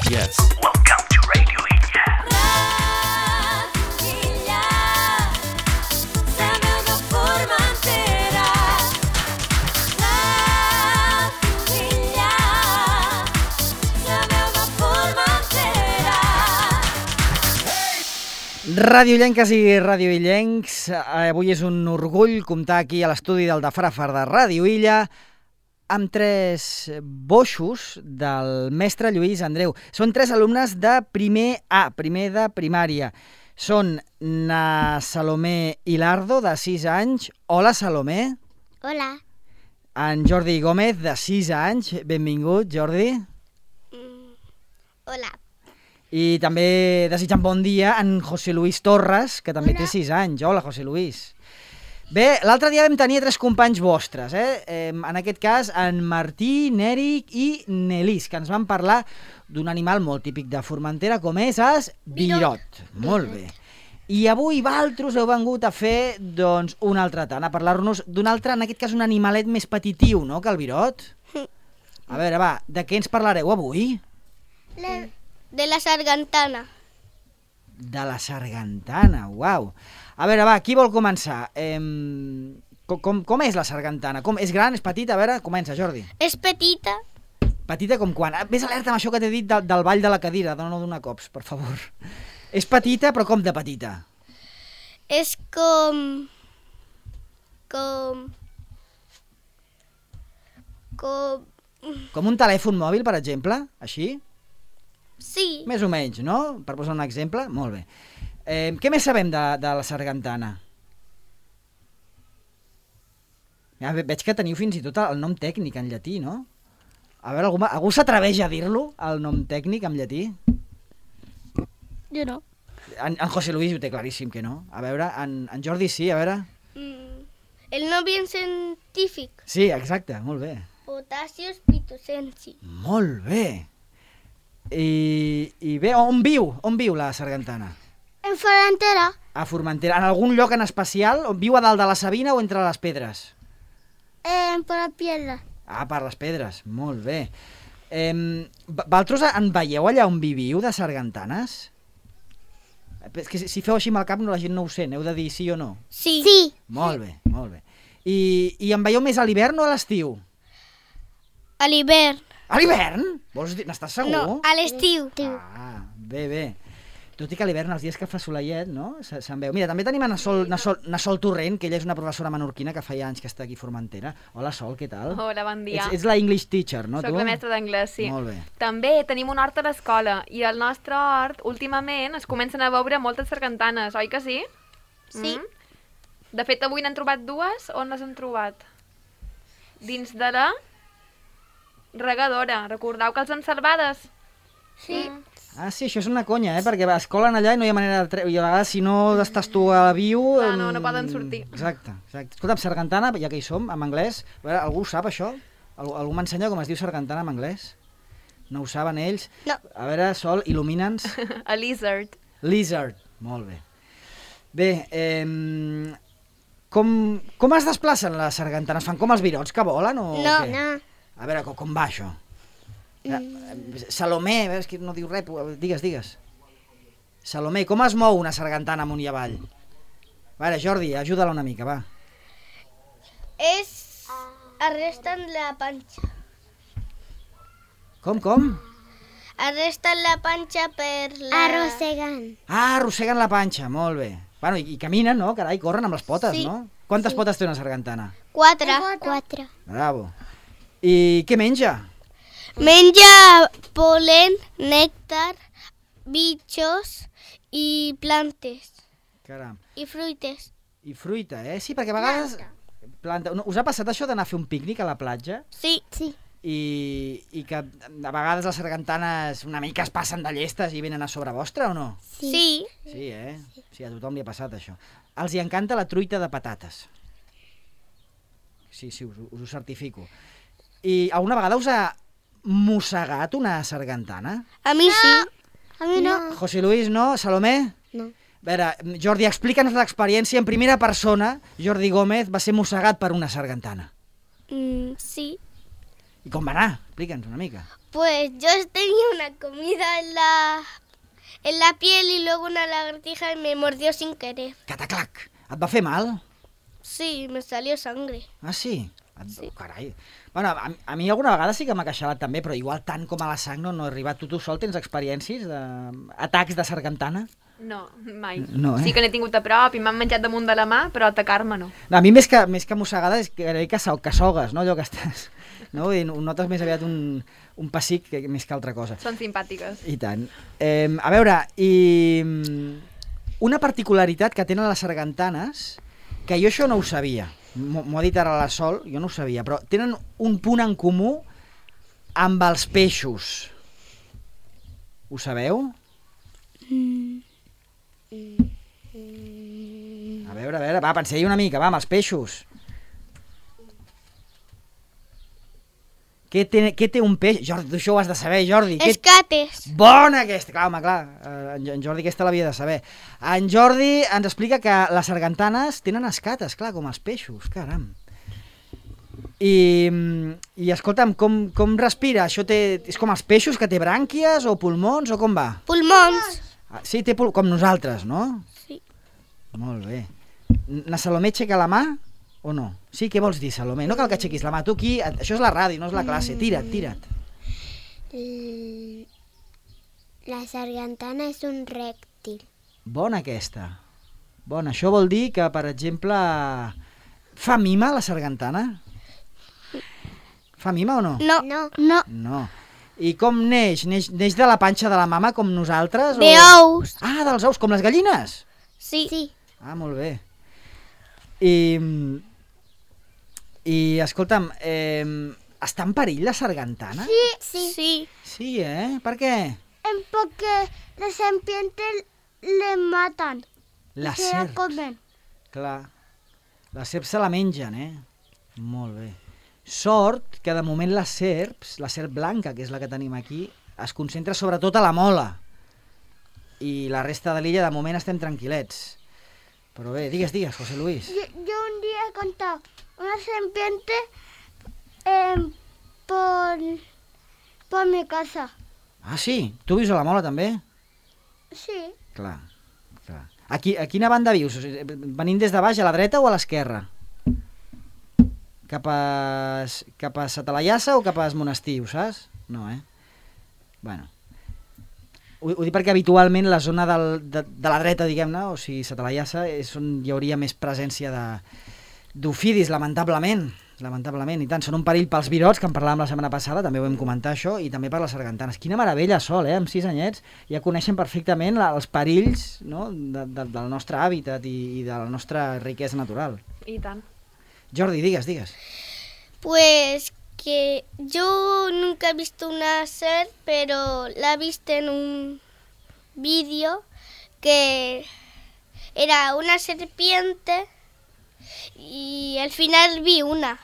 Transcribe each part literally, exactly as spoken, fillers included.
Yes. Welcome to Radio Illa. Radio Illa, la veu de Formentera. Radio Illa, la veu de Formentera. Radioillenques i radioillencs, avui és un orgull comptar aquí a l'estudi del Dafrafar de Radio Illa amb tres boixos del mestre Lluís Andreu. Són tres alumnes de primer A, primer de primària. Són na Salomé Hilardo, de sis anys. Hola, Salomé. Hola. En Jordi Gómez, de sis anys. Benvingut, Jordi. Mm, hola. I també desitjant bon dia en José Luis Torres, que també Hola. té sis anys. Hola, José Luis. Bé, l'altre dia vam tenir tres companys vostres, eh? eh? En aquest cas, en Martí, Nèric i Nelis, que ens van parlar d'un animal molt típic de Formentera, com és el virot. Molt bé. I avui vosaltres heu vengut a fer, doncs, un altre tant, a parlar-nos d'un altre, en aquest cas, un animalet més petitiu, no?, que el virot. A veure, va, de què ens parlareu avui? La... De la sargantana. De la sargantana, uau. A veure, va, qui vol començar? Eh, com, com, com és la sargantana? Com, és gran, és petita? A veure, comença, Jordi. És petita. Petita com quan? Ah, Ves alerta amb això que t'he dit del, del ball de la cadira, no donar cops, per favor. És petita, però com de petita? És com... Com... Com... Com un telèfon mòbil, per exemple? Així? Sí. Més o menys, no? Per posar un exemple? Molt bé. Eh, què més sabem de, de la sargantana? Ja, ve- veig que teniu fins i tot el nom tècnic en llatí, no? A veure, algú, algú s'atreveix a dir-lo, el nom tècnic en llatí? Jo no. En, en José Luis ho té claríssim que no. A veure, en, en Jordi sí, a veure. Mm. El nom bien científic. Sí, exacte, molt bé. Potassius pitusensi. Molt bé. I, i bé, on viu? On viu la sargantana? En Formentera. A Formentera. En algun lloc en especial? On viu a dalt de la Sabina o entre les pedres? En por la piedra. Ah, per les pedres. Molt bé. Eh, Valtros en veieu allà on viviu de sargantanes? És que si, si feu així amb el cap no, la gent no ho sent, heu de dir sí o no. Sí. Sí. Molt bé, molt bé. I, i en veieu més a l'hivern o a l'estiu? A l'hivern. A l'hivern? Vols dir, n'estàs segur? No, a l'estiu. Ah, bé, bé. Tot i que a l'hivern, els dies que fa soleiet, no? Se- Se'n veu. Mira, també tenim a Sol, Sol, Sol Torrent, que ella és una professora menorquina que feia anys que està aquí a Formentera. Hola, Sol, què tal? Hola, bon dia. Ets, ets la English teacher, no, Soc tu? la mestra d'anglès, sí. Molt bé. També tenim un hort a l'escola i al nostre hort, últimament, es comencen a veure moltes sargantanes, oi que sí? Sí. Mm? De fet, avui n'han trobat dues. On les han trobat? Dins de la regadora. Recordeu que els han salvades? Sí. Mm. Ah, sí, això és una conya, eh? Perquè es colen allà i no hi ha manera de treure. I a vegades, si no estàs tu a la viu... Clar, no, no em, poden sortir. Exacte, exacte. Escolta'm, sargantana, ja que hi som, en anglès, a veure, algú ho sap, això? Algú, algú m'ensenya com es diu sargantana en anglès? No ho saben ells? No. A veure, Sol, il·lumina'ns. A lizard. Lizard, molt bé. Bé, eh, com, com es desplacen les sargantanes? Fan com els virots que volen o No, què? no. A veure, com, com va això? Mm. Salomé, a veure, és que no diu res, digues, digues. Salomé, com es mou una sargantana amunt i avall? A veure, Jordi, ajuda-la una mica, va. És... Arresten la panxa. Com, com? Arresten la panxa per la... Arrossegant. Ah, arrosseguen la panxa, molt bé. Bueno, i, i caminen, no? Carai, corren amb les potes, Sí. no? Quantes Sí. potes té una sargantana? Quatre. Quatre. Bravo. I què menja? Menja polen, nèctar, bitxos i plantes. Caram. I fruites. I fruita, eh? Sí, perquè a vegades... Planta. Us ha passat això d'anar a fer un pícnic a la platja? Sí. Sí. I, i que a vegades les sargantanes una mica es passen de llestes i venen a sobre vostre o no? Sí. Sí, eh? Sí, a tothom li ha passat això. Els hi encanta la truita de patates. Sí, sí, us, us ho certifico. I alguna vegada us ha mossegat una sargantana? A mi sí. A mi no. José Luis, no? Salomé? No. A veure, Jordi, explica'ns l'experiència en primera persona. Jordi Gómez va ser mossegat per una sargantana. Mm, sí. I com va anar? Explica'ns una mica. Pues yo tenía una comida en la, en la piel y luego una lagartija y me mordió sin querer. Cataclac! Et va fer mal? Sí, me salió sangre. Ah, sí? Et... Sí. Carai. Bueno, a, a mi alguna vegada sí que m'ha queixalat també, però igual tant com a la sang no, no he arribat. Tu, tu sol tens experiències d'atacs de sargantana? No, mai. No, eh? Sí que n'he tingut a prop i m'han menjat damunt de la mà, però atacar-me no. No, a mi més que, més que mossegada és que, que, so- que sogues, no? Allò que estàs... No? I notes més aviat un, un pessic que, més que altra cosa. Són simpàtiques. I tant. Eh, a veure, i mm, una particularitat que tenen les sargantanes, que jo això no ho sabia, m'ho m'ho ha dit ara la Sol, jo no ho sabia, però tenen un punt en comú amb els peixos. Ho sabeu? A veure, a veure, va, penseu-hi una mica, va, amb els peixos. Què té, què té un peix? Jordi, tu això ho has de saber, Jordi. Què... Escates. Bona aquesta! Clar, home, clar, eh, en en Jordi aquesta l'havia de saber. En Jordi ens explica que les sargantanes tenen escates, clar, com els peixos, caram. I, i escolta'm, com, com respira? Això té, és com els peixos, que té brànquies o pulmons o com va? Pulmons. Ah, sí, té pul... com nosaltres, no? Sí. Molt bé. Na Salomé aixeca la mà o no? Sí, què vols dir, Salomé? No cal que aixequis la mà. Tu aquí, això és la ràdio, no és la classe. Tira't, tira't. L- La sargantana és un rèptil. Bona aquesta. Bona, això vol dir que, per exemple, fa mima la sargantana? Fa mima o no? No. No. No. No. I com neix? Neix, neix de la panxa de la mama com nosaltres? De o... ous. Ah, dels ous, com les gallines? Sí. Sí. Ah, molt bé. I, i escolta'm, eh, està en perill la sargantana? Sí. Sí. Sí. Sí, eh? Per què? En porque las serpientes le matan. La Se la serp. comen. Clar. La serp se la mengen, eh? Molt bé. Sort que de moment les serps, la serp blanca, que és la que tenim aquí, es concentra sobretot a la Mola. I la resta de l'illa de moment estem tranquil·lets. Però bé, digues, digues, José Luis. Yo, yo un día he contado una serpiente eh, por, por mi casa. Ah, sí? Tu vius a la Mola també? Sí. Clar, clar. A, qui, a quina banda vius? O sigui, venint des de baix, a la dreta o a l'esquerra? Cap a, cap a Satalaiassa o cap a Monestir, ho saps? No, eh? Bueno. Ho, ho dic perquè habitualment la zona del, de, de la dreta, diguem-ne, o sigui, Satalaiassa, és on hi hauria més presència de d'ofidis, lamentablement. Lamentablement, i tant, són un perill pels virots, que en parlàvem la setmana passada, també ho vam comentar això, i també per les sargantanes. Quina meravella, Sol, eh? Amb sis anyets ja coneixen perfectament la, els perills, no? de, de, del nostre hàbitat i, i de la nostra riquesa natural. I tant. Jordi, digues, digues. Pues que yo nunca he visto una serp, pero la he visto en un vídeo que era una serpiente y al final vi una.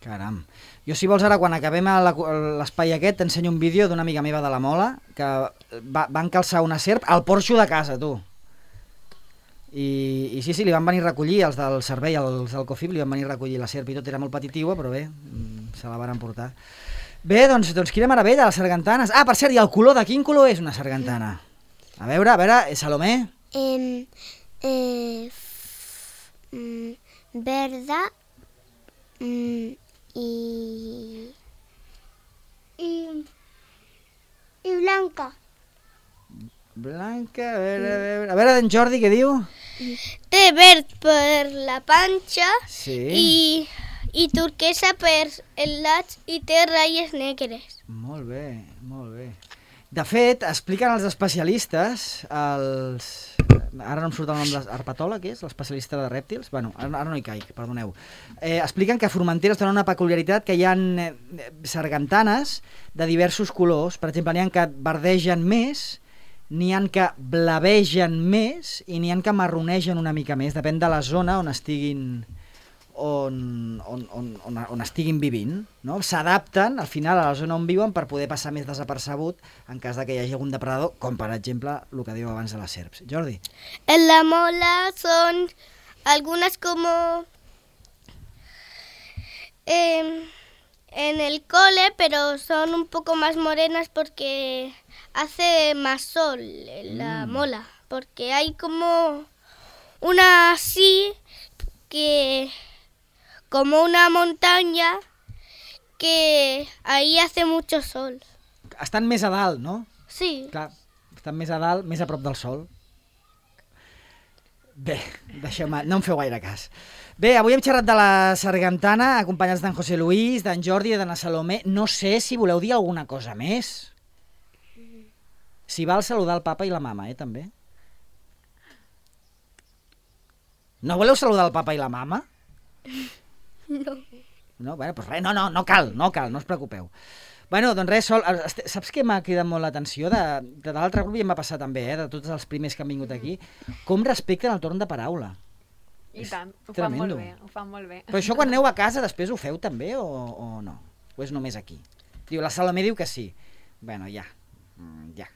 Caram. Jo, si vols, ara, quan acabem a la- a l'espai aquest, t'ensenyo un vídeo d'una amiga meva de la Mola que va, van calçar una serp al porxo de casa, tu. I, I sí, sí, li van venir a recollir, els del servei, els del COFIP, li van venir a recollir la serp i tot, era molt petitiva, però bé, mm, se la van emportar. Bé, doncs, doncs quina meravella, les sargantanes. Ah, per cert, i el color, de quin color és una sargantana? A veure, a veure, eh, Salomé? Em, eh, f- mm, verda mm, y... Y, y blanca. Blanca, a veure, a veure, a veure, en Jordi, què diu? Té verd per la panxa Sí. i, i turquesa per el lat i té ratlles negres. Molt bé, molt bé. De fet, expliquen els especialistes, els... ara no em surt el nom de l'herpatòleg, és? L'especialista de rèptils? Bueno, ara, ara no hi caic, perdoneu. Eh, expliquen que a Formentera tenen una peculiaritat, que hi ha eh, sargantanes de diversos colors. Per exemple, n'hi ha que verdegen més, n'hi ha que blavegen més i n'hi ha que marronegen una mica més. Depèn de la zona on estiguin... On, on, on, on, on estiguin vivint, no? S'adapten al final a la zona on viuen per poder passar més desapercebut en cas de que hi hagi algun depredador, com per exemple el que diu abans de les serps. Jordi? En la mola son algunas como... eh, en el cole, pero son un poco más morenas porque hace más sol en la mola. Porque hay como una así, que como una montaña, que ahí hace mucho sol. Estan més a dalt, no? Sí. Clar, estan més a dalt, més a prop del sol. Bé, deixeu-me, no em feu gaire cas. Bé, avui hem xerrat de la sargantana, acompanyats d'en José Luis, d'en Jordi i de na Salomé. No sé si voleu dir alguna cosa més. Si val saludar el papa i la mama, eh, també. No voleu saludar el papa i la mama? No. No, bueno, doncs res, no, no, no cal, no cal, no us preocupeu. Bueno, doncs res, Sol, saps què m'ha cridat molt l'atenció? De, de l'altre grup i em va passar també, eh, de tots els primers que han vingut aquí, com respecten el torn de paraula. I És tant, ho fan tremendo. molt bé, ho fan molt bé. Però això quan aneu a casa després ho feu també o, o no? O és només aquí? Diu, la Salomé diu que sí. Bueno, ja, mm, ja.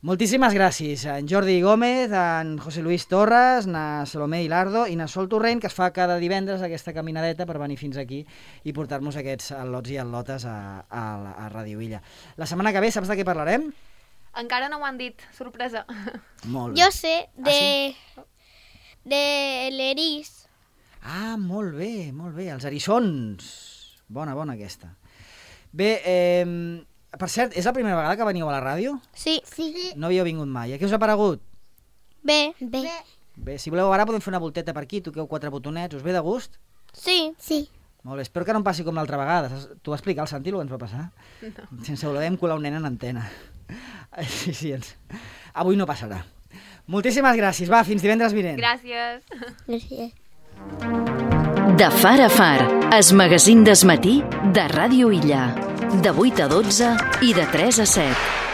Moltíssimes gràcies a en Jordi Gómez, a en José Luis Torres, na Salomé Hilardo i na Sol Torrent, que es fa cada divendres aquesta caminadeta per venir fins aquí i portar-nos aquests al·lots i al·lotes a, a, a Ràdio Illa. La setmana que ve, saps de què parlarem? Encara no ho han dit, sorpresa. Molt bé. Jo sé de, Ah, de l'eris. Ah, molt bé, molt bé. Els eriçons. Bona, bona aquesta. Bé, eh, per cert, és la primera vegada que veniu a la ràdio? Sí. Sí. No havíeu vingut mai. A què us ha paregut? Bé. Bé. Bé, si voleu ara podem fer una volteta per aquí, toqueu quatre botonets, us ve de gust? Sí. Sí. Molt bé, espero que no em passi com l'altra vegada. Saps- T'ho va explicar el Santi, el que ens va passar? No. Sense voler vam colar un nen en antena. Sí, sí, ens... avui no passarà. Moltíssimes gràcies. Va, fins divendres vinent. Gràcies. Gràcies. De far a far, es magazín desmatí de Ràdio Illa. De vuit a dotze i de tres a set.